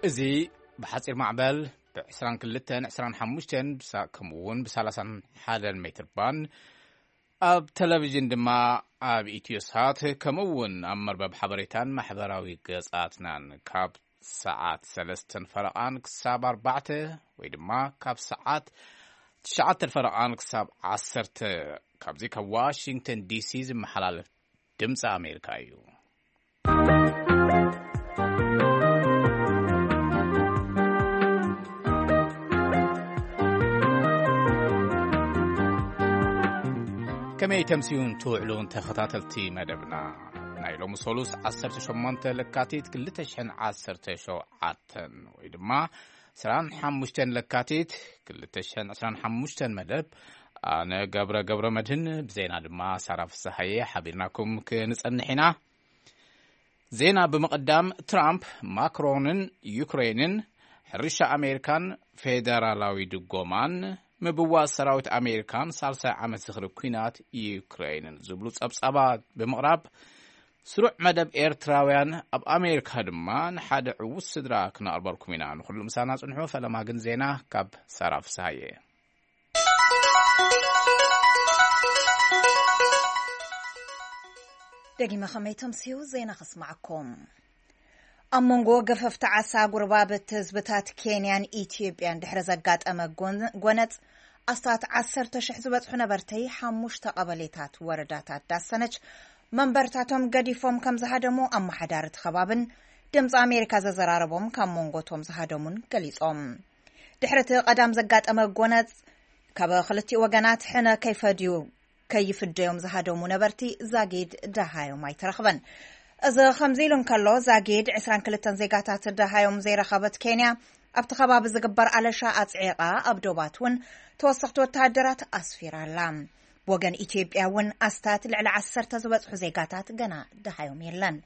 እዚ ብሓጺር ማዕበል ብ22፣ 25፣ ከምኡ እውን ብ31 ሜትር ባንድ፣ ኣብ ቴሌቪዥን ድማ ኣብ ኢትዮሳት፣ ከምኡ እውን ኣብ መርበብ ሓበሬታን ማሕበራዊ ገጻትናን ካብ ሰዓት ሰለስተን ፈረቓን ክሳብ ኣርባዕተ፣ ወይ ድማ ካብ ሰዓት ትሽዓተ ፈረቓን ክሳብ ዓሰርተ፣ ካብዚ ካብ ዋሽንግተን ዲሲ ዝመሓላለፍ ድምፂ ኣሜሪካ እዩ። ከመይ ተምስዩን ትውዕሉን ተኸታተልቲ መደብና? ናይ ሎሚ ሰሉስ ዓሰርተ ሸሞንተ ለካቲት ክልተ ሽሕን ዓሰርተ ሸውዓተን፣ ወይ ድማ ዕስራን ሓሙሽተን ለካቲት ክልተ ሽሕን ዕስራን ሓሙሽተን መደብ፣ ኣነ ገብረ ገብረ መድህን፣ ብዜና ድማ ሳራ ፍስሃየ ሓቢርናኩም ክንጸንሕ ኢና። ዜና ብምቕዳም፣ ትራምፕ፣ ማክሮንን ዩክሬንን፣ ሕርሻ ኣሜሪካን ፌደራላዊ ድጎማን፣ ምብዋስ ሰራዊት ኣሜሪካን ሳልሳይ ዓመት ዝኽሪ ኲናት ዩክሬንን ዝብሉ ጸብጻባት ብምቕራብ፣ ስሩዕ መደብ ኤርትራውያን ኣብ ኣሜሪካ ድማ ንሓደ ዕዉት ስድራ ክነቕርበልኩም ኢና። ንኹሉ ምሳና ጽንሑ። ፈለማ ግን ዜና ካብ ሳራ ፍስሃየ። ደጊመ ከመይ ተምስዩ ዜና ከስማዓኩም። ኣብ መንጎ ገፈፍቲ ዓሳ ጉርባብቲ ህዝብታት ኬንያን ኢትዮጵያን ድሕሪ ዘጋጠመ ጎን-፣ ጎነጽ፣ ኣስታት ዓሰርተ ሽሕ ዝበጽሑ ነበርቲ ሓሙሽተ ቀበሌታት ወረዳታት ዳሰነች መንበርታቶም ገዲፎም ከም ዝሃደሙ ኣመሓዳሪ እቲ ከባብን ድምፂ ኣሜሪካ ዘዘራረቦም ካብ መንጎቶም ዝሃደሙን ገሊጾም። ድሕሪ እቲ ቀዳም ዘጋጠመ ጎነጽ፣ ካብ ክልቲኡ ወገናት ሕነ ከይፈድዩ ከይፍደዮም ዝሃደሙ ነበርቲ ዛጊድ ደሃዮም ኣይተረኽበን። እዚ ከምዚ ኢሉ እንከሎ፣ ዛጊድ ዕስራን ክልተን ዜጋታት ደሃዮም ዘይረኸበት ኬንያ፣ ኣብቲ ከባቢ ዝግበር ኣለሻ ኣጽዒቓ፣ ኣብ ዶባት እውን ተወሰኽቲ ወተሃደራት ኣስፊራ ኣላ። ብወገን ኢትዮጵያ እውን ኣስታት ልዕሊ ዓሰርተ ዝበጽሑ ዜጋታት ገና ደሃዮም የለን።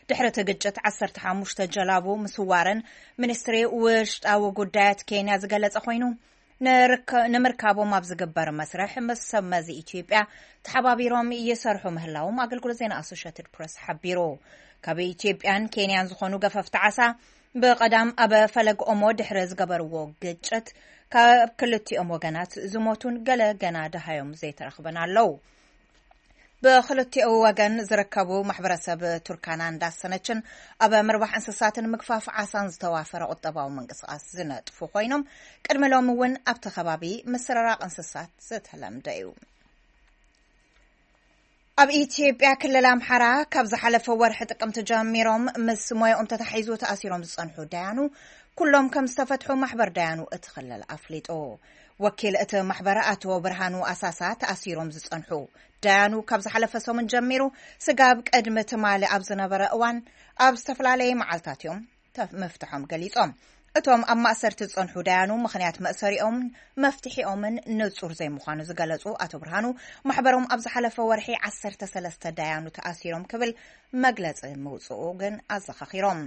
ድሕሪ እቲ ግጭት ዓሰርተ ሓሙሽተ ጀላቡ ምስዋረን ሚኒስትሪ ውሽጣዊ ጉዳያት ኬንያ ዝገለጸ ኮይኑ፣ ንርከ-፣ ንምርካቦም ኣብ ዝግበር መስርሕ ምስ ሰብ መዚ ኢትዮጵያ ተሓባቢሮም ይሰርሑ ምህላዎም ኣገልግሎት ዜና ኣሶሼትድ ፕረስ ሓቢሩ። ካብ ኢትዮጵያን ኬንያን ዝኾኑ ገፈፍቲ ዓሳ ብቐዳም ኣብ ፈለግ ኦሞ ድሕሪ ዝገበርዎ ግጭት ካብ ክልቲኦም ወገናት ዝሞቱን ገለ ገና ደሃዮም ዘይተረኽበን ኣለዉ። ብክልቲኡ ወገን ዝርከቡ ማሕበረሰብ ቱርካናን ዳሰነችን ኣብ ምርባሕ እንስሳትን ምግፋፍ ዓሳን ዝተዋፈረ ቁጠባዊ ምንቅስቃስ ዝነጥፉ ኮይኖም፣ ቅድሚ ሎሚ እውን ኣብቲ ከባቢ ምስርራቕ እንስሳት ዝተለምደ እዩ። ኣብ ኢትዮጵያ ክልል ኣምሓራ ካብ ዝሓለፈ ወርሒ ጥቅምቲ ጀሚሮም ምስ ሞያኦም ተታሒዙ ተኣሲሮም ዝጸንሑ ዳያኑ ኩሎም ከም ዝተፈትሑ ማሕበር ዳያኑ እቲ ክልል ኣፍሊጡ። ወኪል እቲ ማሕበር ኣቶ ብርሃኑ ኣሳሳ፣ ተኣሲሮም ዝጸንሑ ዳያኑ ካብ ዝሓለፈ ሰሙን ጀሚሩ ስጋብ ቅድሚ ትማሊ ኣብ ዝነበረ እዋን ኣብ ዝተፈላለየ መዓልታት እዮም ተ-፣ ምፍትሖም ገሊጾም። እቶም ኣብ ማእሰርቲ ዝጸንሑ ዳያኑ ምኽንያት መእሰሪኦምን መፍትሒኦምን ንጹር ዘይምዃኑ ዝገለጹ ኣቶ ብርሃኑ፣ ማሕበሮም ኣብ ዝሓለፈ ወርሒ ዓሰርተ ሰለስተ ዳያኑ ተኣሲሮም ክብል መግለጺ ምውጽኡ ግን ኣዘኻኺሮም።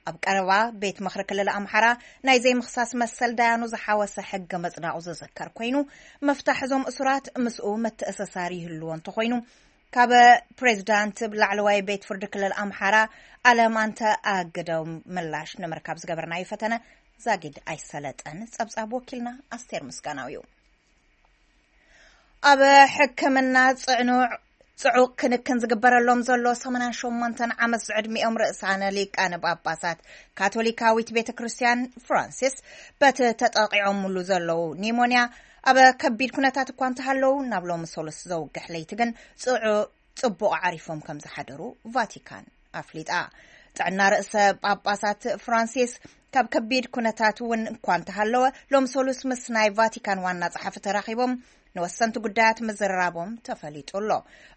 ኣብ ቀረባ ቤት ምኽሪ ክልል ኣምሓራ ናይ ዘይምኽሳስ መሰል ዳያኑ ዝሓወሰ ሕጊ ምጽዳቑ ዝዝከር ኮይኑ፣ ምፍታሕ እዞም እሱራት ምስኡ ምትእስሳር ይህልዎ እንተኾይኑ፣ ካብ ፕሬዚዳንት ላዕለዋይ ቤት ፍርዲ ክልል ኣምሓራ ኣለማንተ ኣግደው ምላሽ ንምርካብ ዝገበርናዮ ፈተነ ዛጊድ ኣይሰለጠን። ጸብጻብ ወኪልና ኣስቴር ምስጋናው እዩ። ኣብ ሕክምና ጽዕኑዕ፣ ጽዑቕ ክንክን ዝግበረሎም ዘሎ ሰማንያን ሸሞንተን ዓመት ዝዕድሚኦም ርእሳነ ሊቃነ ጳጳሳት ካቶሊካዊት ቤተ ክርስቲያን ፍራንሲስ፣ በቲ ተጠቂዖምሉ ዘለዉ ኒሞንያ ኣብ ከቢድ ኩነታት እኳ እንተሃለዉ፣ ናብ ሎሚ ሰሉስ ዘውግሕ ለይቲ ግን ጽዑ-፣ ጽቡቕ ዓሪፎም ከም ዝሓደሩ ቫቲካን ኣፍሊጣ። ጥዕና ርእሰ ጳጳሳት ፍራንሲስ ካብ ከቢድ ኩነታት እውን እኳ እንተሃለወ፣ ሎም ሰሉስ ምስ ናይ ቫቲካን ዋና ጸሓፊ ተራኺቦም ንወሰንቲ ጉዳያት ምዝርራቦም ተፈሊጡ ኣሎ።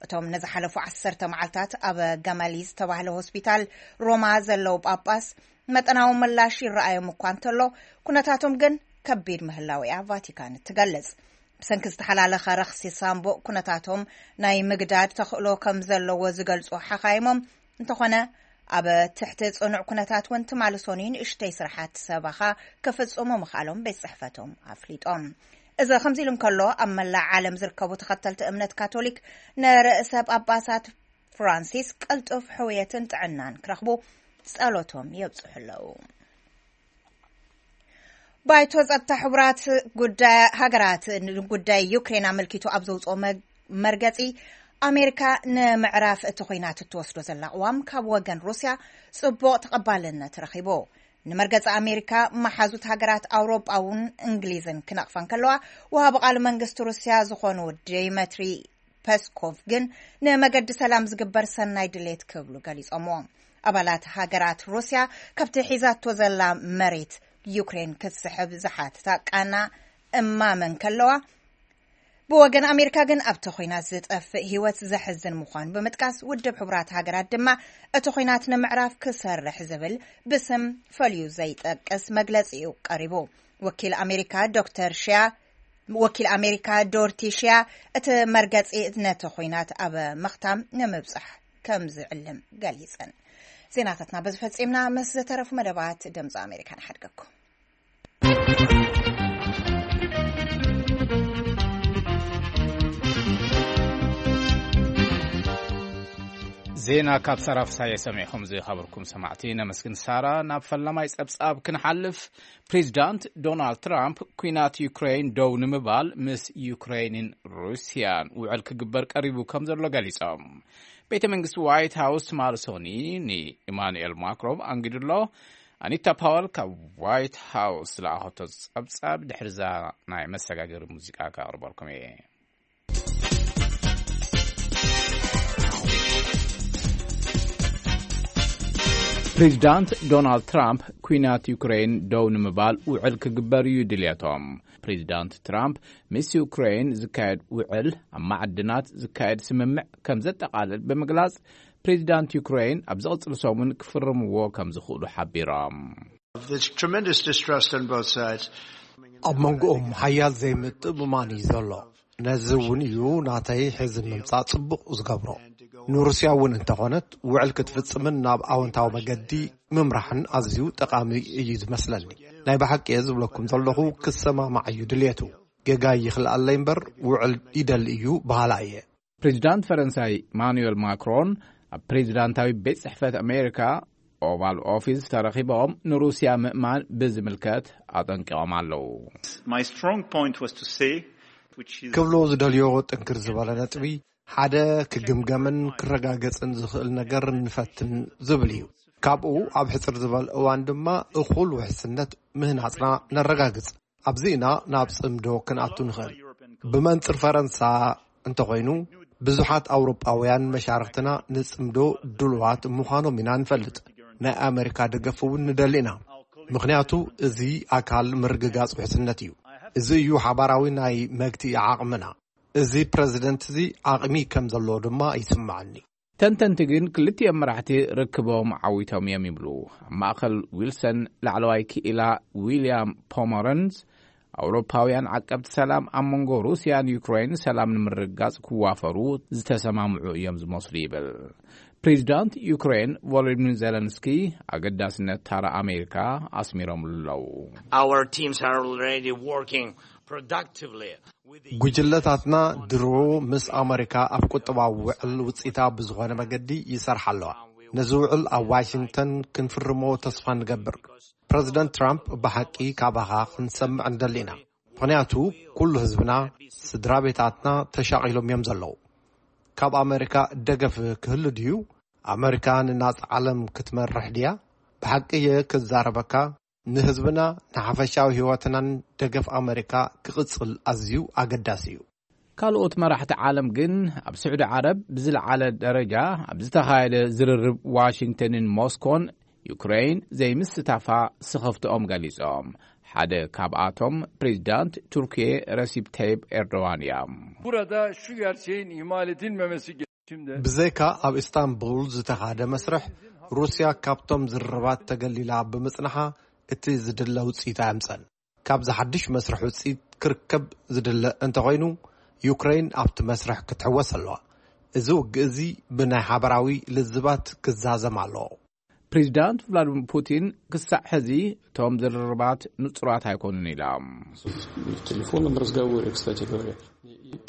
እቶም ንዝሓለፉ ዓሰርተ መዓልታት ኣብ ገመሊ ዝተባህለ ሆስፒታል ሮማ ዘለዉ ጳጳስ መጠናዊ ምላሽ ይረኣዮም እኳ እንተሎ፣ ኩነታቶም ግን ከቢድ ምህላው እያ ቫቲካን እትገልጽ። ብሰንኪ ዝተሓላለኸ ረኽሲ ሳምቡእ ኩነታቶም ናይ ምግዳድ ተኽእሎ ከም ዘለዎ ዝገልጹ ሓኻይሞም፣ እንተኾነ ኣብ ትሕቲ ጽኑዕ ኩነታት እውን ትማሊ ሰኑይ ንእሽተይ ስራሓት ሰበኻ ክፍጽሙ ምኽኣሎም ቤት ጽሕፈቶም ኣፍሊጦም። እዚ ከምዚ ኢሉ እንከሎ፣ ኣብ መላእ ዓለም ዝርከቡ ተኸተልቲ እምነት ካቶሊክ ንርእሰ ጳጳሳት ፍራንሲስ ቅልጡፍ ሕውየትን ጥዕናን ክረኽቡ ጸሎቶም የብጽሑ ኣለዉ። ባይቶ ጸጥታ ሕቡራት ጉዳይ ሃገራት ንጉዳይ ዩክሬን ኣመልኪቱ ኣብ ዘውፅኦ መ- መርገጺ፣ ኣሜሪካ ንምዕራፍ እቲ ኹናት እትወስዶ ዘላ ቅዋም ካብ ወገን ሩስያ ጽቡቕ ተቐባልነት ረኺቡ። ንመርገጺ ኣሜሪካ፣ መሓዙት ሃገራት ኣውሮጳ እውን እንግሊዝን ክነቕፋ እንከለዋ፣ ወሃቢ ቃል መንግስቲ ሩስያ ዝኾኑ ዴመትሪ ፐስኮቭ ግን ንመገዲ ሰላም ዝግበር ሰናይ ድሌት ክብሉ ገሊጾምዎ። ኣባላት ሃገራት ሩስያ ካብቲ ሒዛቶ ዘላ መሬት ዩክሬን ክትስሕብ ዝሓትታ ቃና እማመ እንከለዋ፣ ብወገን ኣሜሪካ ግን ኣብቲ ኹናት ዝጠፍእ ህይወት ዘሕዝን ምዃኑ ብምጥቃስ፣ ውድብ ሕቡራት ሃገራት ድማ እቲ ኹናት ንምዕራፍ ክሰርሕ ዝብል ብስም ፈልዩ ዘይጠቅስ መግለጺ እዩ ቀሪቡ። ወኪል ኣሜሪካ ዶክተር ሽያ ወኪል ኣሜሪካ ዶርቲ ሽያ፣ እቲ መርገጺ ነቲ ኹናት ኣብ ምኽታም ንምብጻሕ ከም ዝዕልም ገሊጸን። ዜናታትና በዚ ፈጺምና። ምስ ዝተረፉ መደባት ድምፂ ኣሜሪካ ንሓድገኩም። ዜና ካብ ሳራ ፍሳየ ሰሚዕኹም ዝኸበርኩም ሰማዕቲ ነመስግን። ሳራ፣ ናብ ፈላማይ ጸብጻብ ክንሓልፍ። ፕሬዚዳንት ዶናልድ ትራምፕ ኲናት ዩክሬን ደው ንምባል ምስ ዩክሬንን ሩስያን ውዕል ክግበር ቀሪቡ ከም ዘሎ ገሊጾም። ቤተ መንግስቲ ዋይት ሃውስ ትማሊ ሰኒ ንኢማኑኤል ማክሮን ኣንጊዱ ኣሎ። ኣኒታ ፓወል ካብ ዋይት ሃውስ ዝለኣኸቶ ጸብጻብ ድሕሪዛ ናይ መሰጋገሪ ሙዚቃ ከቕርበልኩም እየ። ፕሬዚዳንት ዶናልድ ትራምፕ ኲናት ዩክሬን ደው ንምባል ውዕል ክግበር እዩ ድልየቶም። ፕሬዚዳንት ትራምፕ ምስ ዩክሬን ዝካየድ ውዕል ኣብ ማዕድናት ዝካየድ ስምምዕ ከም ዘጠቓልል ብምግላጽ፣ ፕሬዚዳንት ዩክሬን ኣብ ዝቕጽል ሰሙን ክፍርምዎ ከም ዝኽእሉ ሓቢሮም። There's tremendous distrust on both sides. ኣብ መንጎኦም ሓያል ዘይምትእምማን እዩ ዘሎ። ነዚ እውን እዩ ናተይ ሕዚ ምምጻእ ጽቡቕ ዝገብሮ። ንሩስያ እውን እንተኾነት ውዕል ክትፍጽምን ናብ ኣወንታዊ መገዲ ምምራሕን ኣዝዩ ጠቓሚ እዩ ዝመስለኒ። ናይ ብሓቂ እየ ዝብለኩም ዘለኹ፣ ክሰማማዕ እዩ ድልየቱ። ጌጋ ይኽልኣለይ እምበር ውዕል ይደሊ እዩ በሃላ እየ። ፕሬዚዳንት ፈረንሳይ ኢማኑኤል ማክሮን ኣብ ፕሬዚዳንታዊ ቤት ጽሕፈት ኣሜሪካ ኦቫል ኦፊስ ተረኺቦም ንሩስያ ምእማን ብዝምልከት ኣጠንቂቖም ኣለዉ። My strong point was to say, which is ክብሎ ዝደልዮ ጥንክር ዝበለ ነጥቢ፣ ሓደ ክግምገምን ክረጋገጽን ዝኽእል ነገር ንፈትን ዝብል እዩ። ካብኡ ኣብ ሕጽር ዝበለ እዋን ድማ እኹል ውሕስነት ምህናጽና ነረጋግጽ። ኣብዚ ኢና ናብ ጽምዶ ክንኣቱ ንኽእል። ብመንጽር ፈረንሳ እንተኾይኑ፣ ብዙሓት ኣውሮጳውያን መሻርኽትና ንጽምዶ ድሉዋት ምዃኖም ኢና ንፈልጥ። ናይ ኣሜሪካ ደገፍ እውን ንደሊ ኢና። ምኽንያቱ እዚ ኣካል ምርግጋጽ ውሕስነት እዩ። እዚ እዩ ሓባራዊ ናይ መግትኢ ዓቕምና። እዚ ፕረዚደንት እዚ ዓቕሚ ከም ዘለዎ ድማ ይስምዓኒ። ተንተንቲ ግን ክልቲኦም መራሕቲ ርክቦም ዓዊቶም እዮም ይብሉ። ኣብ ማእከል ዊልሰን ላዕለዋይ ክኢላ ዊልያም ፖመረንስ፣ ኣውሮፓውያን ዓቀብቲ ሰላም ኣብ መንጎ ሩስያን ዩክሬን ሰላም ንምርግጋጽ ክዋፈሩ ዝተሰማምዑ እዮም ዝመስሉ ይብል። ፕሬዚዳንት ዩክሬን ቮሎዲሚር ዜለንስኪ ኣገዳስነት ታራ ኣሜሪካ ኣስሚሮምሉ ኣለዉ። Our teams are already working productively with the ጉጅለታትና ድሮ ምስ ኣመሪካ ኣብ ቁጠባዊ ውዕል ውፅኢታዊ ብዝኾነ መገዲ ይሰርሓ ኣለዋ። ነዚ ውዕል ኣብ ዋሽንግተን ክንፍርሞ ተስፋ ንገብር። ፕረዚደንት ትራምፕ ብሓቂ ካባኻ ክንሰምዕ ንደሊ ኢና። ምኽንያቱ ኩሉ ህዝብና፣ ስድራ ቤታትና ተሻቒሎም እዮም ዘለዉ። ካብ ኣመሪካ ደገፍ ክህሉ ድዩ? ኣመሪካ ንናጻ ዓለም ክትመርሕ ድያ? ብሓቂ እየ ክዛረበካ፣ ንህዝብና፣ ንሓፈሻዊ ህይወትናን ደገፍ ኣመሪካ ክቕጽል ኣዝዩ ኣገዳሲ እዩ። ካልኦት መራሕቲ ዓለም ግን ኣብ ስዑዲ ዓረብ ብዝለዓለ ደረጃ ኣብ ዝተኻየደ ዝርርብ ዋሽንግተንን ሞስኮን ዩክሬን ዘይምስታፋ ስኸፍትኦም ገሊጾም። ሓደ ካብኣቶም ፕሬዚዳንት ቱርኪየ ረሲፕ ተይብ ኤርዶዋን እዮም። Burada şu gerçeğin ihmal edilmemesi gerektiğinde ብዘይካ ኣብ ኢስታንቡል ዝተኻደ መስርሕ፣ ሩስያ ካብቶም ዝርርባት ተገሊላ ብምጽንሓ እቲ ዝድለ ውጽኢት ኣየምጸን። ካብዚ ሓድሽ መስርሕ ውጽኢት ክርከብ ዝድለ እንተኾይኑ፣ ዩክሬን ኣብቲ መስርሕ ክትሕወስ ኣለዋ። እዚ ውግእ እዚ ብናይ ሓበራዊ ልዝባት ክዛዘም ኣለዎ። ፕሬዚዳንት ቭላድሚር ፑቲን ክሳዕ ሕዚ እቶም ዝርርባት ንጹራት ኣይኮኑን ኢሎም። В телефонном разговоре, кстати говоря.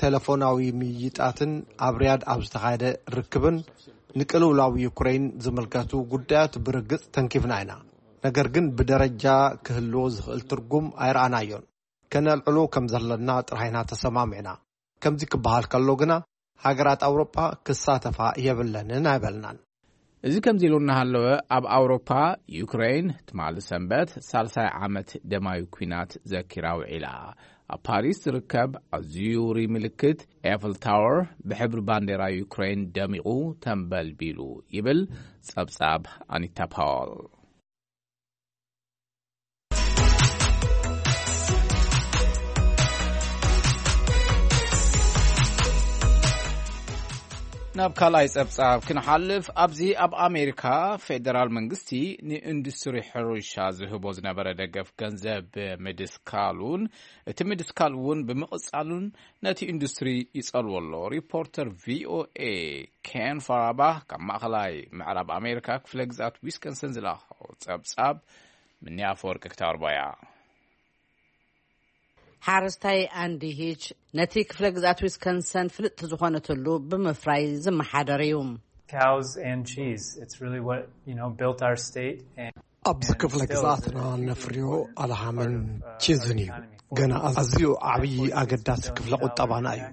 ቴሌፎናዊ ምይይጣትን ኣብ ሪያድ ኣብ ዝተኻየደ ርክብን ንቅልውላው ዩክሬን ዝምልከቱ ጉዳያት ብርግጽ ተንኪፍና ኢና። ነገር ግን ብደረጃ ክህልዎ ዝኽእል ትርጉም ኣይረኣናዮን። ከነልዕሎ ከም ዘለና ጥራይና ተሰማሚዕና። ከምዚ ክበሃል ከሎ ግና፣ ሃገራት ኣውሮጳ ክሳተፋ የብለንን ኣይበልናን። እዚ ከምዚ ኢሉ እናሃለወ፣ ኣብ ኣውሮፓ ዩክሬን ትማሊ ሰንበት ሳልሳይ ዓመት ደማዊ ኲናት ዘኪራ ውዒላ። ኣብ ፓሪስ ዝርከብ ኣዝዩ ውሩይ ምልክት ኤፍል ታወር ብሕብሪ ባንዴራ ዩክሬን ደሚቑ ተንበልቢሉ ይብል ጸብጻብ ኣኒታ ፓወል። ናብ ካልኣይ ጸብጻብ ክንሓልፍ፣ ኣብዚ ኣብ ኣሜሪካ ፌደራል መንግስቲ ንኢንዱስትሪ ሕርሻ ዝህቦ ዝነበረ ደገፍ ገንዘብ ምድስካሉን፣ እቲ ምድስካል እውን ብምቕጻሉን ነቲ ኢንዱስትሪ ይጸልዎ ኣሎ። ሪፖርተር ቪኦኤ ኬን ፋራባ ካብ ማእኸላይ ምዕራብ ኣሜሪካ ክፍለ ግዛት ዊስኮንሰን ዝለኣኾ ጸብጻብ ምንያ ኣፈወርቂ ክተቕርቦ እያ። ሓረስታይ ኣንዲ ሂች ነቲ ክፍለ ግዛት ዊስኮንሰን ፍልጥቲ ዝኾነትሉ ብምፍራይ ዝመሓደር እዩ። Cows and cheese. It's really what, you know, built our state. And, ኣብዚ ክፍለ ግዛትና ነፍርዮ ኣልሃምን ቺዝን እዩ። ገና ኣዝዩ ዓብዪ ኣገዳሲ ክፍለ ቁጠባና እዩ።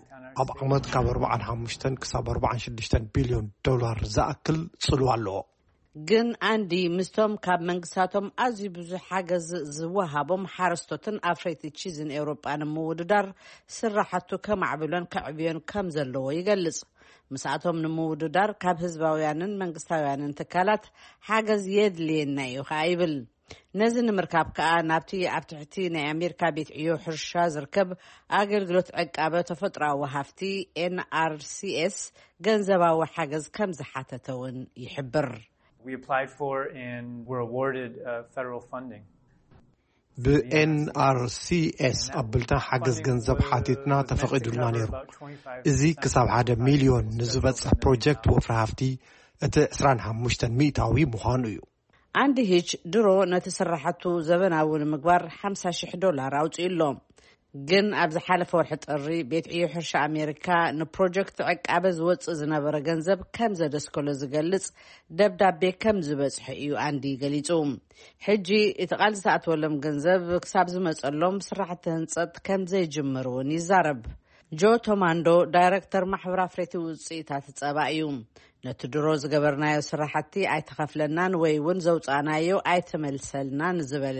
ኣብ ዓመት ካብ ኣርባዓን ሓሙሽተን ክሳብ ኣርባዓን ሽዱሽተን ቢልዮን ዶላር ዝኣክል ጽልዋ ኣለዎ። ግን ኣንዲ ምስቶም ካብ መንግስታቶም ኣዝዩ ብዙሕ ሓገዝ ዝወሃቦም ሓረስቶትን ኣፍረይቲ ቺዝን ኤውሮጳ ንምውድዳር ስራሕቱ ከማዕብሎን ከዕብዮን ከም ዘለዎ ይገልጽ። ምስኣቶም ንምውድዳር ካብ ህዝባውያንን መንግስታውያንን ትካላት ሓገዝ የድልየና እዩ ከኣ ይብል። ነዚ ንምርካብ ከኣ ናብቲ ኣብ ትሕቲ ናይ ኣሜሪካ ቤት ዕዮ ሕርሻ ዝርከብ ኣገልግሎት ዕቃበ ተፈጥሮኣዊ ሃፍቲ ኤንኣርሲኤስ ገንዘባዊ ሓገዝ ከም ዝሓተተ እውን ይሕብር። We applied for and were awarded uh, federal funding. ብኤንኣርሲኤስ ኣብልታ ሓገዝ ገንዘብ ሓቲትና ተፈቒዱልና ነይሩ። እዚ ክሳብ ሓደ ሚልዮን ንዝበጽሕ ፕሮጀክት ወፍሪ ሃፍቲ እቲ ዕስራን ሓሙሽተን ሚእታዊ ምዃኑ እዩ። ኣንዲ ሂች ድሮ ነቲ ስራሕቱ ዘበናዊ ንምግባር ሓምሳ ሽሕ ዶላር ኣውፅኡ ኣሎ። ግን ኣብ ዝሓለፈ ወርሒ ጥሪ ቤት ዕዮ ሕርሻ ኣሜሪካ ንፕሮጀክት ዕቃበ ዝወፅእ ዝነበረ ገንዘብ ከም ዘደስከሎ ዝገልፅ ደብዳቤ ከም ዝበፅሐ እዩ ኣንዲ ገሊፁ። ሕጂ እቲ ቃል ዝተኣተወሎም ገንዘብ ክሳብ ዝመፀሎም ስራሕቲ ህንፀት ከም ዘይጅምር እውን ይዛረብ። ጆ ቶማንዶ ዳይረክተር ማሕበር ኣፍረይቲ ውፅኢታት ጸባ እዩ። ነቲ ድሮ ዝገበርናዮ ስራሕቲ ኣይተኸፍለናን ወይ እውን ዘውፃእናዮ ኣይተመልሰልናን ዝበለ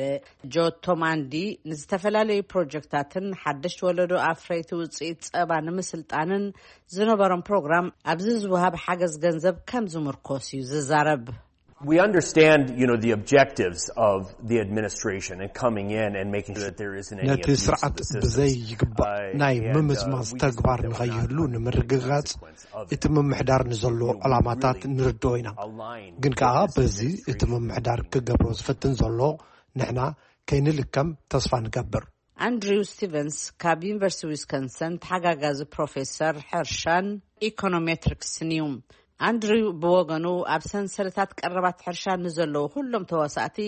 ጆ ቶማንዲ፣ ንዝተፈላለዩ ፕሮጀክታትን ሓደሽቲ ወለዶ ኣፍረይቲ ውፅኢት ጸባ ንምስልጣንን ዝነበሮም ፕሮግራም ኣብዚ ዝወሃብ ሓገዝ ገንዘብ ከም ዝምርኮስ እዩ ዝዛረብ። We understand, you know, the objectives of the administration and coming in and making sure that there isn't any ነቲ abuse of ስርዓት the system. ብዘይ ይግባእ ናይ ምምዝማዝ ተግባር ንኸይህሉ ንምርግጋጽ እቲ ምምሕዳር ንዘሎ ዕላማታት ንርድኦ ኢና። ግን ከኣ በዚ እቲ ምምሕዳር ክገብሮ ዝፍትን ዘሎ ንሕና ከይንልከም ተስፋ ንገብር። ኣንድሪው ስቲቨንስ ካብ ዩኒቨርሲቲ ዊስኮንሰን ተሓጋጋዚ ፕሮፌሰር ሕርሻን ኢኮኖሜትሪክስን እዩ። ኣንድሪው ብወገኑ ኣብ ሰንሰለታት ቀረባት ሕርሻ ንዘለዉ ኩሎም ተዋሳእቲ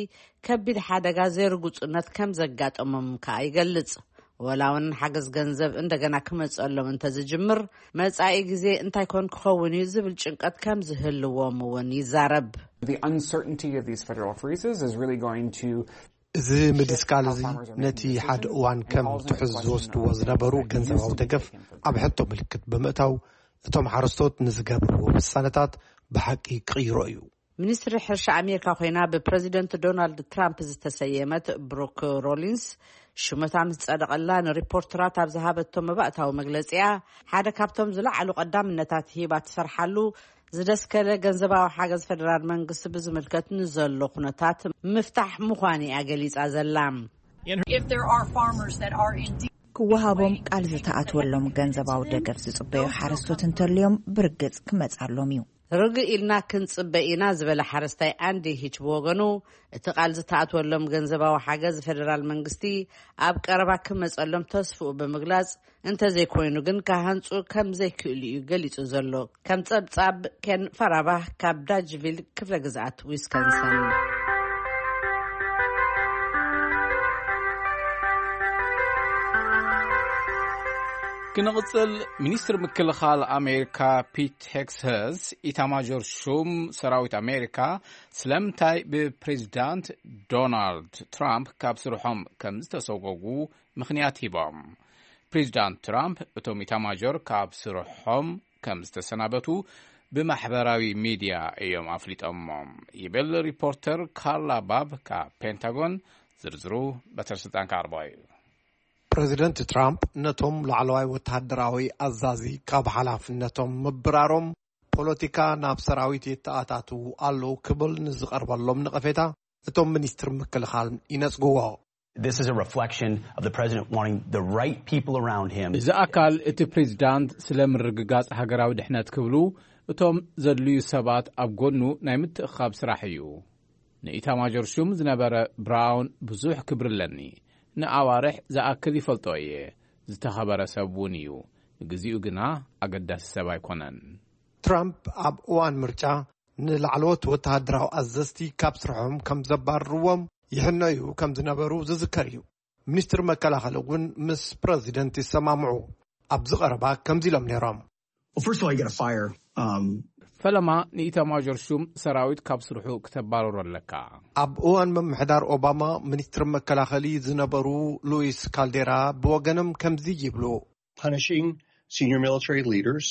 ከቢድ ሓደጋ ዘይርጉጽነት ከም ዘጋጠሞም ከኣ ይገልጽ። ወላ እውን ሓገዝ ገንዘብ እንደገና ክመጸሎም እንተዝጅምር መጻኢ ግዜ እንታይ ኮን ክኸውን እዩ ዝብል ጭንቀት ከም ዝህልዎም እውን ይዛረብ። The uncertainty of these federal freezes is really going to እዚ ምድስካል እዚ ነቲ ሓደ እዋን ከም ትሑዝ ዝወስድዎ ዝነበሩ ገንዘባዊ ደገፍ ኣብ ሕቶ ምልክት ብምእታው እቶም ሓረስቶት ንዝገብርዎ ውሳነታት ብሓቂ ክቕይሮ እዩ። ሚኒስትሪ ሕርሻ ኣሜሪካ ኮይና ብፕረዚደንት ዶናልድ ትራምፕ ዝተሰየመት ብሩክ ሮሊንስ ሽመታ ምስ ጸደቐላ ንሪፖርተራት ኣብ ዝሃበቶ መባእታዊ መግለጺኣ ሓደ ካብቶም ዝለዓሉ ቀዳምነታት ሂባ ትሰርሓሉ ዝደስከለ ገንዘባዊ ሓገዝ ፈደራል መንግስቲ ብዝምልከት ንዘሎ ኩነታት ምፍታሕ ምዃኑ እያ ገሊጻ ዘላ። If there are farmers that are indeed ክወሃቦም ቃል ዝተኣትወሎም ገንዘባዊ ደገፍ ዝጽበዩ ሓረስቶት እንተልዮም ብርግጽ ክመጻሎም እዩ። ርግእ ኢልና ክንጽበ ኢና ዝበለ ሓረስታይ ኣንዲ ሂች ብወገኑ እቲ ቃል ዝተኣትወሎም ገንዘባዊ ሓገዝ ፈደራል መንግስቲ ኣብ ቀረባ ክመጸሎም ተስፍኡ ብምግላጽ እንተዘይኮይኑ ግን ክሃንጹ ከም ዘይክእሉ እዩ ገሊጹ ዘሎ። ከም ጸብጻብ ኬን ፈራባህ ካብ ዳጅቪል ክፍለ ግዝኣት ዊስኮንሰን። ክንቕጽል፣ ሚኒስትር ምክልኻል ኣሜሪካ ፒት ሄግሰስ፣ ኢታማዦር ሹም ሰራዊት ኣሜሪካ ስለምንታይ ብፕሬዚዳንት ዶናልድ ትራምፕ ካብ ስርሖም ከም ዝተሰጎጉ ምኽንያት ሂቦም። ፕሬዚዳንት ትራምፕ እቶም ኢታማዦር ካብ ስርሖም ከም ዝተሰናበቱ ብማሕበራዊ ሚድያ እዮም ኣፍሊጦሞም ይብል ሪፖርተር ካርላ ባብ ካብ ፔንታጎን። ዝርዝሩ በትረ ስልጣን ክዓርቦ እዩ። ፕሬዚደንት ትራምፕ ነቶም ላዕለዋይ ወተሃደራዊ ኣዛዚ ካብ ሓላፍነቶም ምብራሮም፣ ፖለቲካ ናብ ሰራዊት የተኣታትዉ ኣለዉ ክብል ንዝቐርበሎም ነቐፌታ፣ እቶም ሚኒስትር ምክልኻል ይነጽግዎ። This is a reflection of the president wanting the right people around him. እዚ ኣካል እቲ ፕሬዚዳንት ስለ ምርግጋጽ ሃገራዊ ድሕነት ክብሉ እቶም ዘድልዩ ሰባት ኣብ ጎኑ ናይ ምትእኻብ ስራሕ እዩ። ንኢታማጆር ሹም ዝነበረ ብራውን ብዙሕ ክብሪ ኣለኒ። ንኣዋርሕ ዝኣክል ይፈልጦ እየ። ዝተኸበረ ሰብ እውን እዩ። ንግዚኡ ግና ኣገዳሲ ሰብ ኣይኮነን። ትራምፕ ኣብ እዋን ምርጫ ንላዕለዎት ወተሃደራዊ ኣዘዝቲ ካብ ስርሖም ከም ዘባርርዎም ይሕነዩ ከም ዝነበሩ ዝዝከር እዩ። ሚኒስትር መከላኸሊ እውን ምስ ፕረዚደንት ይሰማምዑ። ኣብዚ ቀረባ ከምዚ ኢሎም ነይሮም። Well, first of all, you got to fire. Um, ፈለማ ንኢታማዦር ሹም ሰራዊት ካብ ስርሑ ክተባረሮ ኣለካ። ኣብ እዋን ምምሕዳር ኦባማ ሚኒስትር መከላኸሊ ዝነበሩ ሉዊስ ካልዴራ ብወገኖም ከምዚ ይብሉ። Punishing senior military leaders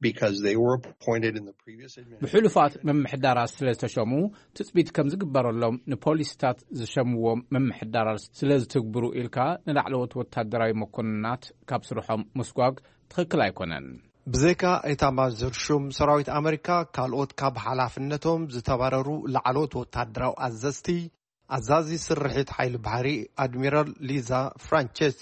because they were appointed in the previous administration. ብሕሉፋት ምምሕዳራት ስለ ዝተሸሙ ትጽቢት ከም ዝግበረሎም ንፖሊስታት ዝሸምዎም ምምሕዳራት ስለ ዝትግብሩ ኢልካ ንላዕለዎት ወታደራዊ መኮንናት ካብ ስርሖም ምስጓግ ትኽክል ኣይኮነን። ብዘይካ ኤታማዦር ሹም ሰራዊት ኣመሪካ፣ ካልኦት ካብ ሓላፍነቶም ዝተባረሩ ላዕለዎት ወታደራዊ ኣዘዝቲ፣ ኣዛዚ ስርሒት ሓይሊ ባሕሪ ኣድሚራል ሊዛ ፍራንቸሲ፣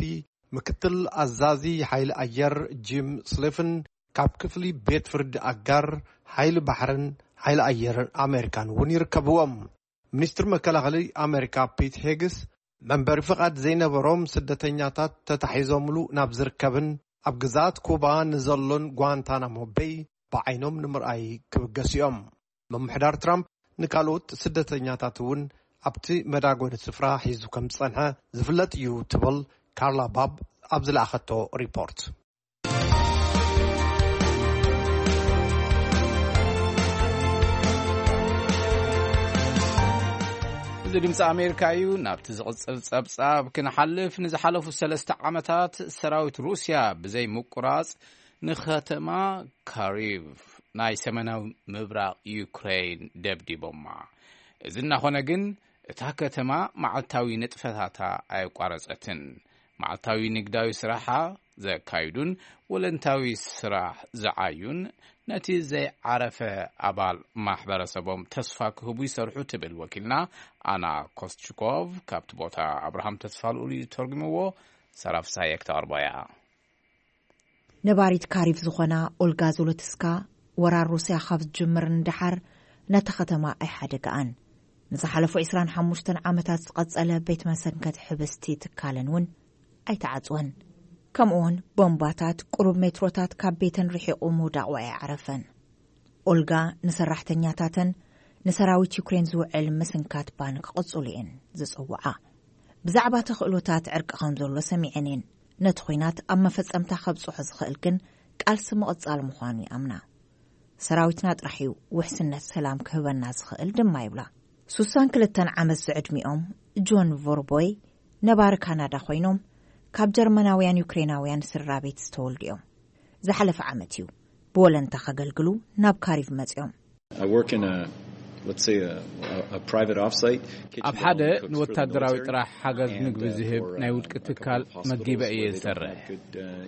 ምክትል ኣዛዚ ሓይሊ ኣየር ጂም ስሊፍን፣ ካብ ክፍሊ ቤት ፍርዲ ኣጋር ሓይሊ ባሕርን ሓይሊ ኣየርን ኣመሪካን እውን ይርከብዎም። ሚኒስትር መከላኸሊ ኣመሪካ ፒት ሄግስ፣ መንበሪ ፍቓድ ዘይነበሮም ስደተኛታት ተታሒዞምሉ ናብ ዝርከብን ኣብ ግዝኣት ኩባ ንዘሎን ጓንታናሞ ቤይ ብዓይኖም ንምርኣይ ክብገሱ እዮም። ምምሕዳር ትራምፕ ንካልኦት ስደተኛታት እውን ኣብቲ መዳጎኒ ስፍራ ሒዙ ከም ዝጸንሐ ዝፍለጥ እዩ ትብል ካርላ ባብ ኣብ ዝለኣኸቶ ሪፖርት። እዚ ድምፂ ኣሜሪካ እዩ። ናብቲ ዝቕጽል ጸብጻብ ክንሓልፍ፣ ንዝሓለፉ ሰለስተ ዓመታት ሰራዊት ሩስያ ብዘይ ምቁራጽ ንከተማ ካሪቭ ናይ ሰሜናዊ ምብራቕ ዩክሬን ደብዲቦማ። እዚ እናኾነ ግን፣ እታ ከተማ መዓልታዊ ንጥፈታታ ኣየቋረጸትን። መዓልታዊ ንግዳዊ ስራሓ ዘካይዱን ወለንታዊ ስራሕ ዝዓዩን፣ ነቲ ዘይዓረፈ ኣባል ማሕበረሰቦም ተስፋ ክህቡ ይሰርሑ ትብል ወኪልና ኣና ኮስችኮቭ ካብቲ ቦታ። ኣብርሃም ተስፋልኡል እዩ ተርጉምዎ። ሰራፍ ሳየክ ተቕርቦ እያ። ነባሪት ካሪቭ ዝኾና ኦልጋ ዞሎትስካ፣ ወራር ሩስያ ካብ ዝጅምር ንደሓር ነታ ከተማ ኣይሓደግኣን። ንዝሓለፉ ዕስራን ሓሙሽተን ዓመታት ዝቐጸለ ቤት መሰንከቲ ሕብስቲ ትካለን እውን ኣይተዓጽወን። ከምኡውን ቦምባታት ቁሩብ ሜትሮታት ካብ ቤተን ርሒቑ ምውዳቑ ኣይዓረፈን። ኦልጋ ንሰራሕተኛታተን ንሰራዊት ዩክሬን ዝውዕል ምስንካት ባን ክቕጽሉ እየን ዝጽውዓ። ብዛዕባ ተኽእሎታት ዕርቂ ከም ዘሎ ሰሚዐን እየን። ነቲ ኲናት ኣብ መፈጸምታ ከብጽሖ ዝኽእል ግን ቃልሲ ምቕጻል ምዃኑ ይኣምና። ሰራዊትና ጥራሕ እዩ ውሕስነት ሰላም ክህበና ዝኽእል ድማ ይብላ። ሱሳን ክልተን ዓመት ዝዕድሚኦም ጆን ቮርቦይ ነባሪ ካናዳ ኮይኖም፣ ካብ ጀርመናውያን ዩክሬናውያን ስድራ ቤት ዝተወልዱ እዮም። ዝሓለፈ ዓመት እዩ ብወለንታ ከገልግሉ ናብ ካሪቭ መጺኦም። I work in a, let's say, a, a, a private offsite. ኣብ ሓደ ንወታደራዊ ጥራሕ ሓገዝ ምግቢ ዝህብ ናይ ውልቂ ትካል መጊበ እየ ዝሰርሕ።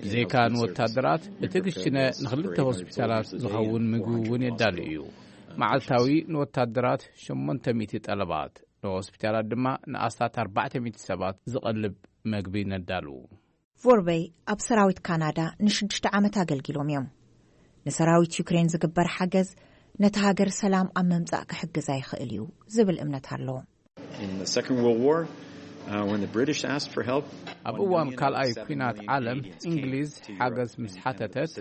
ብዘይካ ንወታደራት፣ እቲ ክሽነ ንኽልተ ሆስፒታላት ዝኸውን ምግቢ እውን የዳሉ እዩ። መዓልታዊ ንወታደራት ሸሞንተ ሚእቲ ጠለባት፣ ንሆስፒታላት ድማ ንኣስታት ኣርባዕተ ሚእቲ ሰባት ዝቐልብ መግቢ ነዳሉ። ቮርበይ ኣብ ሰራዊት ካናዳ ንሽዱሽተ ዓመት ኣገልጊሎም እዮም። ንሰራዊት ዩክሬን ዝግበር ሓገዝ ነቲ ሃገር ሰላም ኣብ ምምጻእ ክሕግዛ ይኽእል እዩ ዝብል እምነት ኣለዎ። In the Second World War, uh, when the British asked for help, ኣብ እዋን ካልኣይ ኲናት ዓለም እንግሊዝ ሓገዝ ምስ ሓተተት፣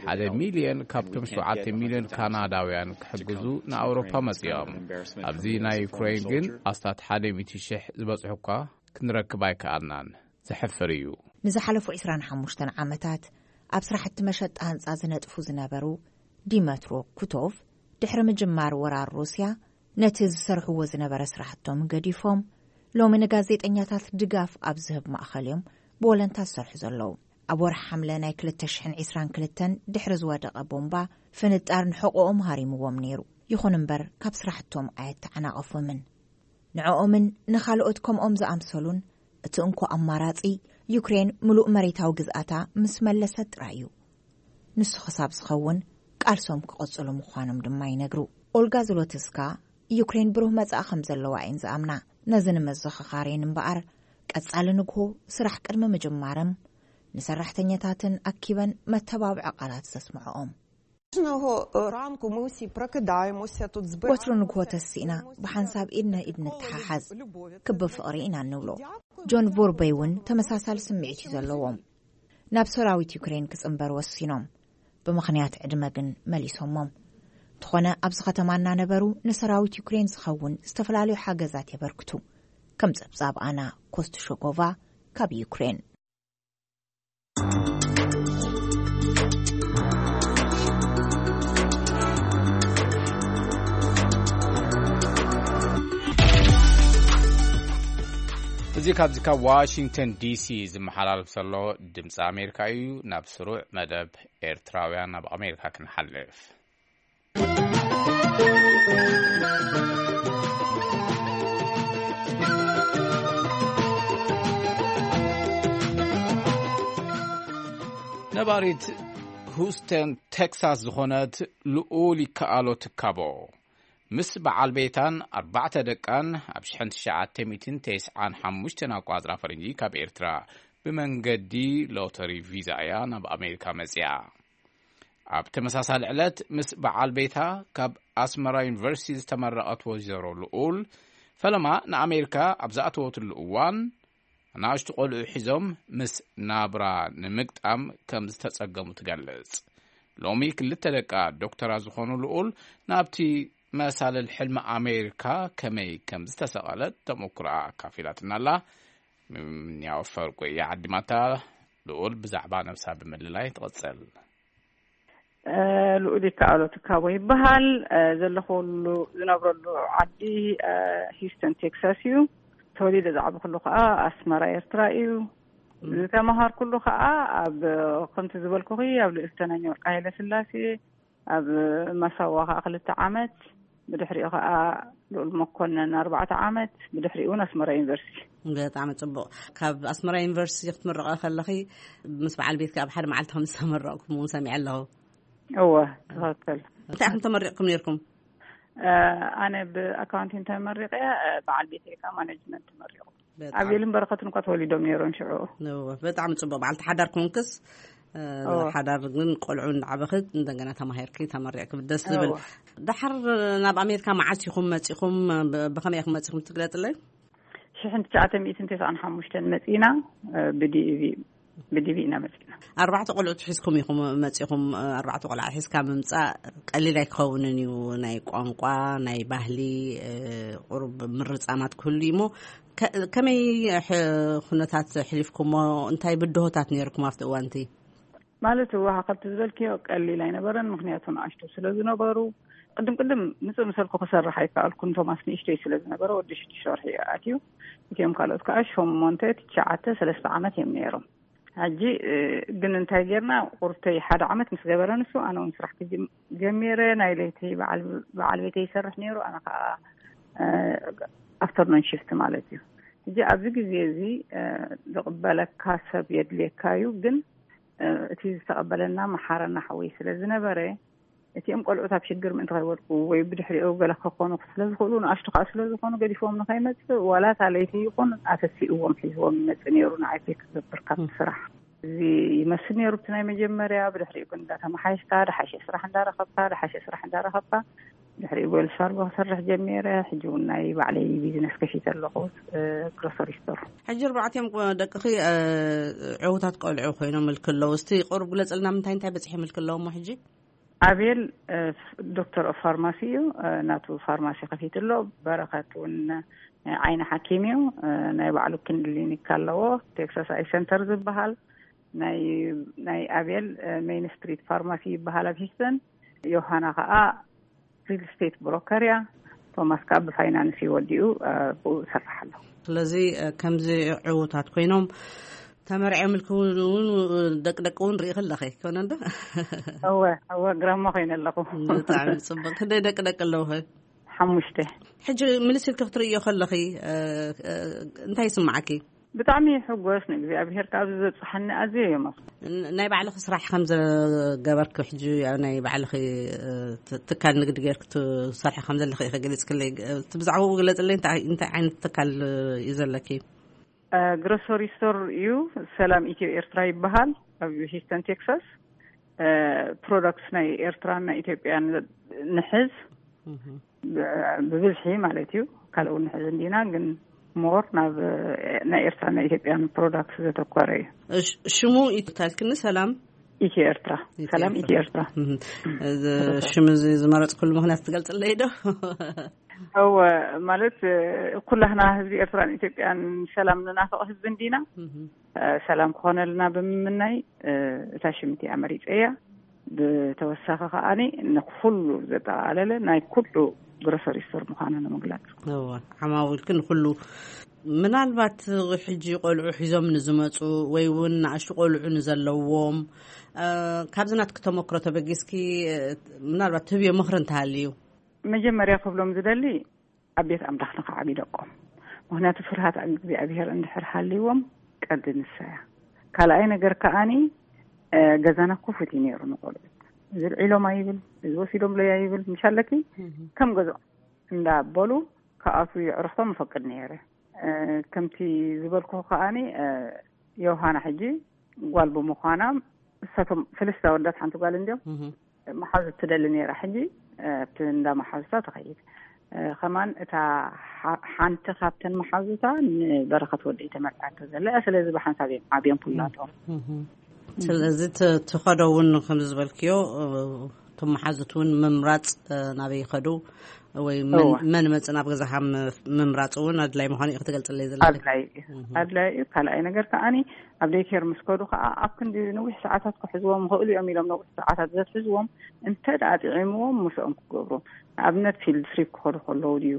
ሓደ ሚልዮን ካብቶም ሸውዓተ ሚልዮን ካናዳውያን ክሕግዙ ንኣውሮፓ መጺኦም። ኣብዚ ናይ ዩክሬን ግን ኣስታት ሓደ ሚእቲ ሽሕ ዝበጽሑ እኳ ክንረክብ ኣይከኣልናን። ዘሕፍር እዩ። ንዝሓለፉ ዕስራን ሓሙሽተን ዓመታት ኣብ ስራሕቲ መሸጣ ህንጻ ዝነጥፉ ዝነበሩ ዲመትሮ ኩቶቭ፣ ድሕሪ ምጅማር ወራር ሩስያ፣ ነቲ ዝሰርሕዎ ዝነበረ ስራሕቶም ገዲፎም፣ ሎሚ ንጋዜጠኛታት ድጋፍ ኣብ ዝህብ ማእኸል እዮም ብወለንታ ዝሰርሑ ዘለዉ። ኣብ ወርሒ ሓምለ ናይ ክልተ ሽሕን ዕስራን ክልተን ድሕሪ ዝወደቐ ቦምባ፣ ፍንጣር ንሕቖኦም ሃሪምዎም ነይሩ። ይኹን እምበር፣ ካብ ስራሕቶም ኣየተዓናቐፉምን። ንዕኦምን ንኻልኦት ከምኦም ዝኣምሰሉን፣ እቲ እንኮ ኣማራጺ፣ ዩክሬን ምሉእ መሬታዊ ግዝኣታ ምስ መለሰት ጥራይ እዩ። ንሱ ክሳብ ዝኸውን፣ ቃልሶም ክቕጽሉ ምዃኖም ድማ ይነግሩ። ኦልጋ ዝሎትስካ፣ ዩክሬን ብሩህ መጻኢ ከም ዘለዋ እየን ዝኣምና። ነዚ ንምዝኽኻር እየን እምበኣር፣ ቀጻሊ ንግሆ ስራሕ ቅድሚ ምጅማርም፣ ንሰራሕተኛታትን ኣኪበን መተባብዒ ቃላት ዘስምዐኦም። Кожного ранку ми усі прокидаємося тут збираємося. ወትሩ ንግሆ ተሲእና ብሓንሳብ ኢድ ንኢድ ንተሓሓዝ፣ ክቢ ፍቕሪ ኢና እንብሎ። ጆን ቮርበይ እውን ተመሳሳሊ ስምዒት እዩ ዘለዎም። ናብ ሰራዊት ዩክሬን ክጽንበር ወሲኖም። ብምኽንያት ዕድመ ግን መሊሶሞም። እንተኾነ ኣብዚ ከተማ እናነበሩ ንሰራዊት ዩክሬን ዝኸውን ዝተፈላለዩ ሓገዛት የበርክቱ። ከም ጸብጻብ ኣና ኮስቱሾጎቫ ካብ ዩክሬን። እዚ ካብዚ ካብ ዋሽንግተን ዲሲ ዝመሓላለፍ ዘሎ ድምፂ ኣሜሪካ እዩ። ናብ ስሩዕ መደብ ኤርትራውያን ኣብ ኣሜሪካ ክንሓልፍ። ነባሪት ሁስተን ቴክሳስ ዝኾነት ልኡል ይከኣሎ ትካቦ፣ ምስ በዓል ቤታን ኣርባዕተ ደቃን ኣብ ሽሕን ትሽዓተ ሚእትን ተስዓን ሓሙሽተን ኣቋጽራ ፈረንጂ ካብ ኤርትራ ብመንገዲ ሎተሪ ቪዛ እያ ናብ ኣሜሪካ መጺኣ። ኣብ ተመሳሳሊ ዕለት ምስ በዓል ቤታ ካብ ኣስመራ ዩኒቨርሲቲ ዝተመረቐት ወይዘሮ ልኡል፣ ፈለማ ንኣሜሪካ ኣብ ዝኣተወትሉ እዋን፣ ንኣሽቱ ቆልዑ ሒዞም ምስ ናብራ ንምግጣም ከም ዝተጸገሙ ትገልጽ። ሎሚ ክልተ ደቃ ዶክተራ ዝኾኑ ልኡል ናብቲ መሳልል ሕልሚ ኣሜሪካ ከመይ ከም ዝተሰቐለት ተመኩሮኣ ኣካፊላትና ኣላ። ምንያው ፈርቁ እያ ዓዲማታ። ልኡል ብዛዕባ ነብሳ ብምልላይ ትቕጽል። እ፣ ልኡል ይከኣሎ ትካቦ ይበሃል። እ፣ ዘለኹሉ፣ ዝነብረሉ ዓዲ፣ እ፣ ሂውስተን ቴክሳስ እዩ። ተወሊደ ዝዓበኹሉ ከዓ ኣስመራ ኤርትራ እዩ። ም። ዝተመሃርኩሉ ከዓ ኣብ፣ ከምቲ ዝበልኩኺ፣ ኣብ ልእልተናኛ ወርቂ ሃይለ ስላሴ፣ ኣብ መሰዋ ከዓ ክልተ ዓመት፣ ብድሕሪኡ ከዓ ልኡል መኮነን ኣርባዕተ ዓመት፣ ብድሕሪኡ እውን ኣስመራ ዩኒቨርሲቲ። ብጣዕሚ ጽቡቕ። ካብ ኣስመራ ዩኒቨርሲቲ ክትምረቐ ከለኺ፣ ምስ በዓል ቤትኪ ኣብ ሓደ መዓልቲ ከም ዝተመረቕኩም እውን ሰሚዐ ኣለኹ። እወ፣ ትኽክል። እንታይ ኢኹም ተመሪቕኩም ነይርኩም? እ፣ ኣነ ብኣካውንቲንግ ተመሪቐ፣ እ፣ በዓል ቤተይ ከዓ ማኔጅመንት ተመሪቑ። በጣም። ኣቤልን በረኸትን እኳ ተወሊዶም ነይሮም ሽዑ። እወ፣ ብጣዕሚ ጽቡቕ። በዓልቲ ሓዳር ኮንክስ፣ እ፣ እወ። ሓዳር ግን ቆልዑ እንዳዓበኽት እንደገና ተማሂርኪ ተመሪቕኪ፣ ደስ ዝብል። እወ። ደሓር ናብ ኣሜሪካ መዓስ ኢኹም መጺኹም? ብ-፣ ብኸመይ ኢኹም መጺኹም ትግለጽለይ? ሽሕን ትሽዓተ ሚእትን ተስዓን ሓሙሽተን መጺና፣ እ፣ ብዲቪ፣ ብዲቪ ኢና መጺና። ኣርባዕተ ቆልዑ ትሒዝኩም ኢኹም መጺኹም። ኣርባዕተ ቆልዓ ሒዝካ ምምጻእ ቀሊል ኣይክኸውንን እዩ። ናይ ቋንቋ፣ ናይ ባህሊ፣ እ፣ ቁሩብ ምርጻማት ክህሉ እዩ እሞ፣ ከ-፣ ከመይ ሕ-፣ ኩነታት ሕሊፍኩሞ? እንታይ ብድሆታት ነይርኩም ኣብቲ እዋን እቲ? ማለት፣ እወ፣ ከምቲ ዝበልክዮ ቀሊል ኣይነበረን፣ ምኽንያቱ ንኣሽቱ ስለ ዝነበሩ። ቅድም ቅድም ምጽእ ምሰልኩ ክሰርሕ ኣይከኣልኩን፣ ቶማስ ንእሽተይ ስለ ዝነበረ፣ ወዲ ሽዱሽተ ወርሒ እዩ ኣትዩ። እቲኦም ካልኦት ከኣ ሸሞንተ፣ ትሽዓተ፣ ሰለስተ ዓመት እዮም ነይሮም። ሕጂ፣ እ፣ ግን እንታይ ጌርና፣ ቁርተይ ሓደ ዓመት ምስ ገበረ ንሱ፣ ኣነ እውን ስራሕ ክጅም-፣ ጀሚረ። ናይ ለይቲ በዓል፣ በዓል ቤተይ ይሰርሕ ነይሩ፣ ኣነ ከኣ፣ እ፣ ኣፍተርኑን ሽፍት ማለት እዩ። ሕጂ ኣብዚ ግዜ እዚ፣ እ፣ ዝቕበለካ ሰብ የድልየካ እዩ፣ ግን፣ እ፣ እቲ ዝተቐበለና መሓረና ሓወይ ስለ ዝነበረ፣ እቲኦም ቆልዑት ኣብ ሽግር ምእንቲ ከይወድቁ ወይ ብድሕሪኡ ገለ ክኾኑ ስለ ዝኽእሉ፣ ንኣሽቱ ከኣ ስለ ዝኾኑ፣ ገዲፎም ንኸይመጽእ፣ ዋላ እታ ለይቲ ይኹን ኣተሲእዎም ሒዝዎም ይመጽእ ነይሩ፣ ንዓይ ፒክ ክገብር ካብቲ ም። ስራሕ። እዚ ይመስል ነይሩ፣ እቲ ናይ መጀመርያ። ብድሕሪኡ ግን እንዳተመሓየሽካ፣ ደሓሸ ስራሕ እንዳረኸብካ፣ ደሓሸ ስራሕ እንዳረኸብካ፣ ድሕሪኡ ዌልስ ፋርጎ ክሰርሕ ጀሚረ። ሕጂ እውን ናይ ባዕለይ ቢዝነስ ከፊተ ኣለኹ፣ እ፣ ግሮሰሪ ስቶር። ሕጂ ኣርባዕቲኦም ቆ-፣ ደቅኺ፣ እ፣ ዕዉታት ቆልዑ ኮይኖም ምልኪ ኣለዉ። እስቲ ቁሩብ ግለጽልና፣ ምንታይ እንታይ በጺሑ ምልኪ ኣለዎ እሞ ሕጂ? ኣቤል፣ እ፣ ዶክተር ኦፍ ፋርማሲ እዩ። እ፣ ናቱ ፋርማሲ ከፊቱ ኣሎ። በረኸት እውን፣ እ፣ ዓይኒ ሓኪም እዩ። እ፣ ናይ ባዕሉ ክሊኒክ ኣለዎ፣ ቴክሳስ ኣይ ሰንተር ዝበሃል። ናይ ናይ ኣቤል ሜይን ስትሪት ፋርማሲ ይበሃል ኣብ ሂስተን። ዮሃና ከዓ ሪል ስቴት ብሮከር እያ። ቶማስ ከዓ ብፋይናንስ እዩ ወዲኡ፣ ብኡ ይሰርሕ ኣሎ። ስለዚ ከምዚ ዕዉታት ኮይኖም ተመርዕዮም ኢልክውን እውን ደቂ ደቂ እውን ርኢ ከለኺ ኮነ እንዶ? እወ እወ፣ ግራማ ኮይነ ኣለኹ። ብጣዕሚ ጽቡቅ። ክንደይ ደቂ ደቂ ኣለውኸ? ሓሙሽተ። ሕጂ ምልስ ኢልኪ ክትርእዮ ከለኺ እንታይ ይስምዓኪ? ብጣዕሚ ሕጎስ ንእግዚኣብሔር ካብዚ ዘብጽሓኒ ኣዝየ እዮም። ናይ ባዕልኺ ስራሕ ከም ዘገበርኪ፣ ሕጂ ናይ ባዕልኺ ትካል ንግዲ ጌርኪ ትሰርሒ ከም ዘለኺ ኢኺ ገሊጽክለይ። እቲ ብዛዕባኡ ግለጽለይ፣ እንታይ እንታይ ዓይነት ትካል እዩ ዘለኪ? ግሮሰሪ ስቶር እዩ። ሰላም ኢትዮ ኤርትራ ይበሃል። ኣብ ሂስተን ቴክሳስ ፕሮዳክትስ ናይ ኤርትራን ናይ ኢትዮጵያን ንሕዝ፣ ብብዝሒ ማለት እዩ። ካልእ እውን ንሕዝ እንዲና፣ ግን ሞር ናብ ናይ ኤርትራን ናይ ኢትዮጵያን ፕሮዳክትስ ዘተኮረ እዩ። ሽሙ ኢትዮ ታልክኒ ሰላም ኢትዮ ኤርትራ። ሰላም ኢትዮ ኤርትራ። ሽም እዚ ዝመረፅኩሉ ምክንያት ትገልፅለይ ዶ? እወ፣ ማለት ኩላህና ህዝቢ ኤርትራን ኢትዮጵያን ሰላም ንናፍቕ ህዝቢ እንዲና። ሰላም ክኾነልና ብምምናይ እታ ሽምቲ ኣመሪፀያ። ብተወሳኺ ከዓኒ ንኩሉ ዘጠቓለለ ናይ ኩሉ ግሮሰሪ ስቶር ምዃኑ ንምግላፅ። እወ፣ ዓማዊልክ ንኩሉ። ምናልባት ሕጂ ቆልዑ ሒዞም ንዝመፁ ወይ እውን ንኣሽቱ ቆልዑ ንዘለዎም፣ ካብዚ ናትክ ተመክሮ ተበጊስኪ ምናልባት ትህብዮ ምኽሪ እንተሃልዩ? መጀመርያ ክብሎም ዝደሊ ኣብ ቤት ኣምላኽ ንኽዓብዩ ደቆም። ምኽንያቱ ፍርሃት እግዚኣብሔር እንድሕር ሃልይዎም ቀንዲ ንሳ እያ። ካልኣይ ነገር ከዓኒ ገዛና ክፉት እዩ ነይሩ ንቆልዑት። እዚ ልዒሎም ኣይብል፣ እዚ ወሲዶምለይ ኣይብል፣ ምሽ ኣለኪ ከም ገዝኦም እንዳበሉ ክኣትዉ የዕርኽቶም እፈቅድ ነይረ። ከምቲ ዝበልኩ ከዓኒ ዮሃና ሕጂ ጓል ብምዃና እሳቶም ሰለስተ ኣወዳት ሓንቲ ጓል እንዲዮም። መሓዙት ትደሊ ነይራ። ሕጂ ኣብቲ እንዳ መሓዙታ ትኸይድ። ከማን እታ ሓንቲ ካብተን መሓዙታ ንበረኸት ወደይ ተመርዓቶ ዘለ። ስለዚ ብሓንሳብ እዮም ዓብዮም ኩላቶም። ስለዚ ትኸዶ እውን ከምዚ ዝበልክዮ፣ እቶም መሓዙት እውን ምምራፅ ናበይ ይኸዱ ወይ መን መፅ ናብ ገዛኻ ምምራፅ እውን ኣድላይ ምዃኑ እዩ ክትገልፅለይ ዘለኪ። ኣድላይ እዩ። ካልኣይ ነገር ከዓኒ ኣብ ደይኬር ምስ ከዱ ከዓ ኣብ ክንዲ ነዊሕ ሰዓታት ክሕዝዎም ይኽእሉ እዮም ኢሎም ነዊሕ ሰዓታት ዘትሕዝዎም እንተ ደኣ ጥዒምዎም ምስኦም ክገብሩ። ንኣብነት ፊልድ ትሪፕ ክኸዱ ከለዉ ድዩ፣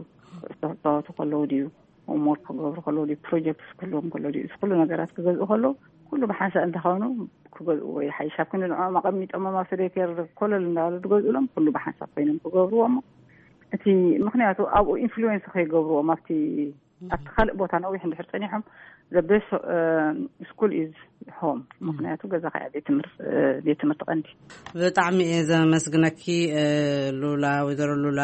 ክፃወቱ ከለዉ ድዩ፣ ሆምወርክ ክገብሩ ከለዉ ድዩ፣ ፕሮጀክትስ ክህልዎም ከሎ ድዩ፣ እዚ ኩሉ ነገራት ክገዝኡ ከለዉ ኩሉ ብሓንሳእ እንተኾኑ ክገዝእዎ ይሓይሽ። ኣብ ክንዲ ንዕኦም ኣቐሚጦሞም ኣብቲ ደይኬር ኮለል እንዳበሉ ዝገዝኡሎም ኩሉ ብሓንሳብ ኮይኖም ክገብርዎ እሞ እቲ ምኽንያቱ ኣብኡ ኢንፍሉዌንስ ከይገብርዎም ኣብቲ ኣብቲ ካልእ ቦታ ነዊሕ እንድሕር ጸኒሖም the best school is home። ምኽንያቱ ገዛ ከያ ቤት ትምህርቲ ቀንዲ። ብጣዕሚ እየ ዘመስግነኪ ሉላ፣ ወይዘሮ ሉላ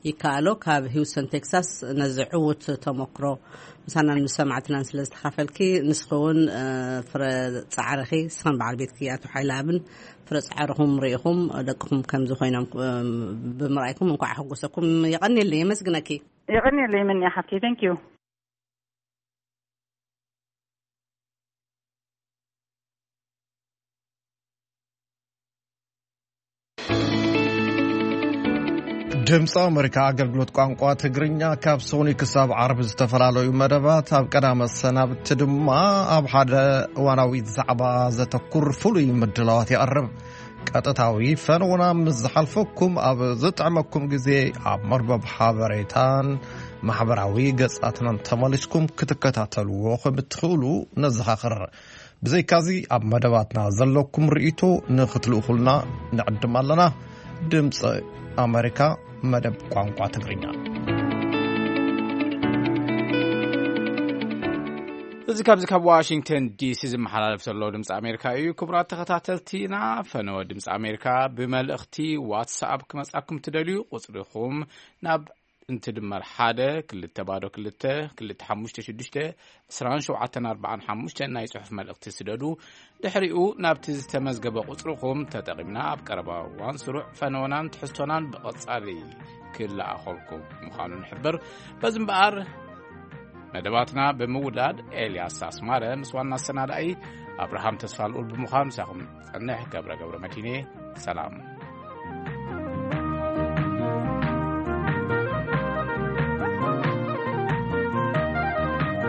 ይከኣሎ ካብ ሂውስተን ቴክሳስ ነዚ ዕዉት ተመክሮ ምሳናን ምስ ሰማዕትናን ስለ ዝተኻፈልኪ። ንስኺ እውን ፍረ ጻዕርኺ፣ ንስኽን በዓል ቤትኪ ኣቶ ሓይለኣብን ፍረ ጻዕርኹም ርኢኹም ደቅኹም ከምዚ ኮይኖም ብምርኣይኩም እንኳዕ ኣሐጎሰኩም። የቐንየለይ፣ የመስግነኪ። የቐንየለይ ምንያ ሓፍቲ። Thank you። ድምፂ ኣመሪካ ኣገልግሎት ቋንቋ ትግርኛ ካብ ሶኒ ክሳብ ዓርቢ ዝተፈላለዩ መደባት፣ ኣብ ቀዳመ ሰናብቲ ድማ ኣብ ሓደ እዋናዊ ዛዕባ ዘተኩር ፍሉይ ምድላዋት የቕርብ። ቀጥታዊ ፈነውና ምስ ዝሓልፈኩም ኣብ ዝጥዕመኩም ግዜ ኣብ መርበብ ሓበሬታን ማሕበራዊ ገጻትናን ተመሊስኩም ክትከታተልዎ ከም እትኽእሉ ነዘኻኽር። ብዘይካዚ ኣብ መደባትና ዘለኩም ርእይቶ ንኽትልእኹልና ንዕድም ኣለና። ድምፂ ኣመሪካ መደብ ቋንቋ ትግርኛ። እዚ ካብዚ ካብ ዋሽንግተን ዲሲ ዝመሓላለፍ ዘሎ ድምፂ ኣሜሪካ እዩ። ክቡራት ተኸታተልቲና፣ ፈነወ ድምፂ ኣሜሪካ ብመልእኽቲ ዋትስኣፕ ክመፃኩም ትደልዩ፣ ቁፅሪኹም ናብ እንትድመር ሓደ ክልተ ባዶ ክልተ ክልተ ሓሙሽተ ሽዱሽተ ዕስራን ሸውዓተን ኣርባዓን ሓሙሽተ ናይ ጽሑፍ መልእኽቲ ስደዱ። ድሕሪኡ ናብቲ ዝተመዝገበ ቁጽርኹም ተጠቒምና ኣብ ቀረባ እዋን ስሩዕ ፈነወናን ትሕዝቶናን ብቐጻሊ ክለኣኸልኩም ምዃኑ ንሕብር። በዚ እምበኣር መደባትና ብምውዳድ ኤልያስ ኣስማረ ምስ ዋና ኣሰናዳኢ ኣብርሃም ተስፋ ልኡል ብምዃን ምሳኹም ጸንሕ ገብረ ገብረ መድሂኔ ሰላም።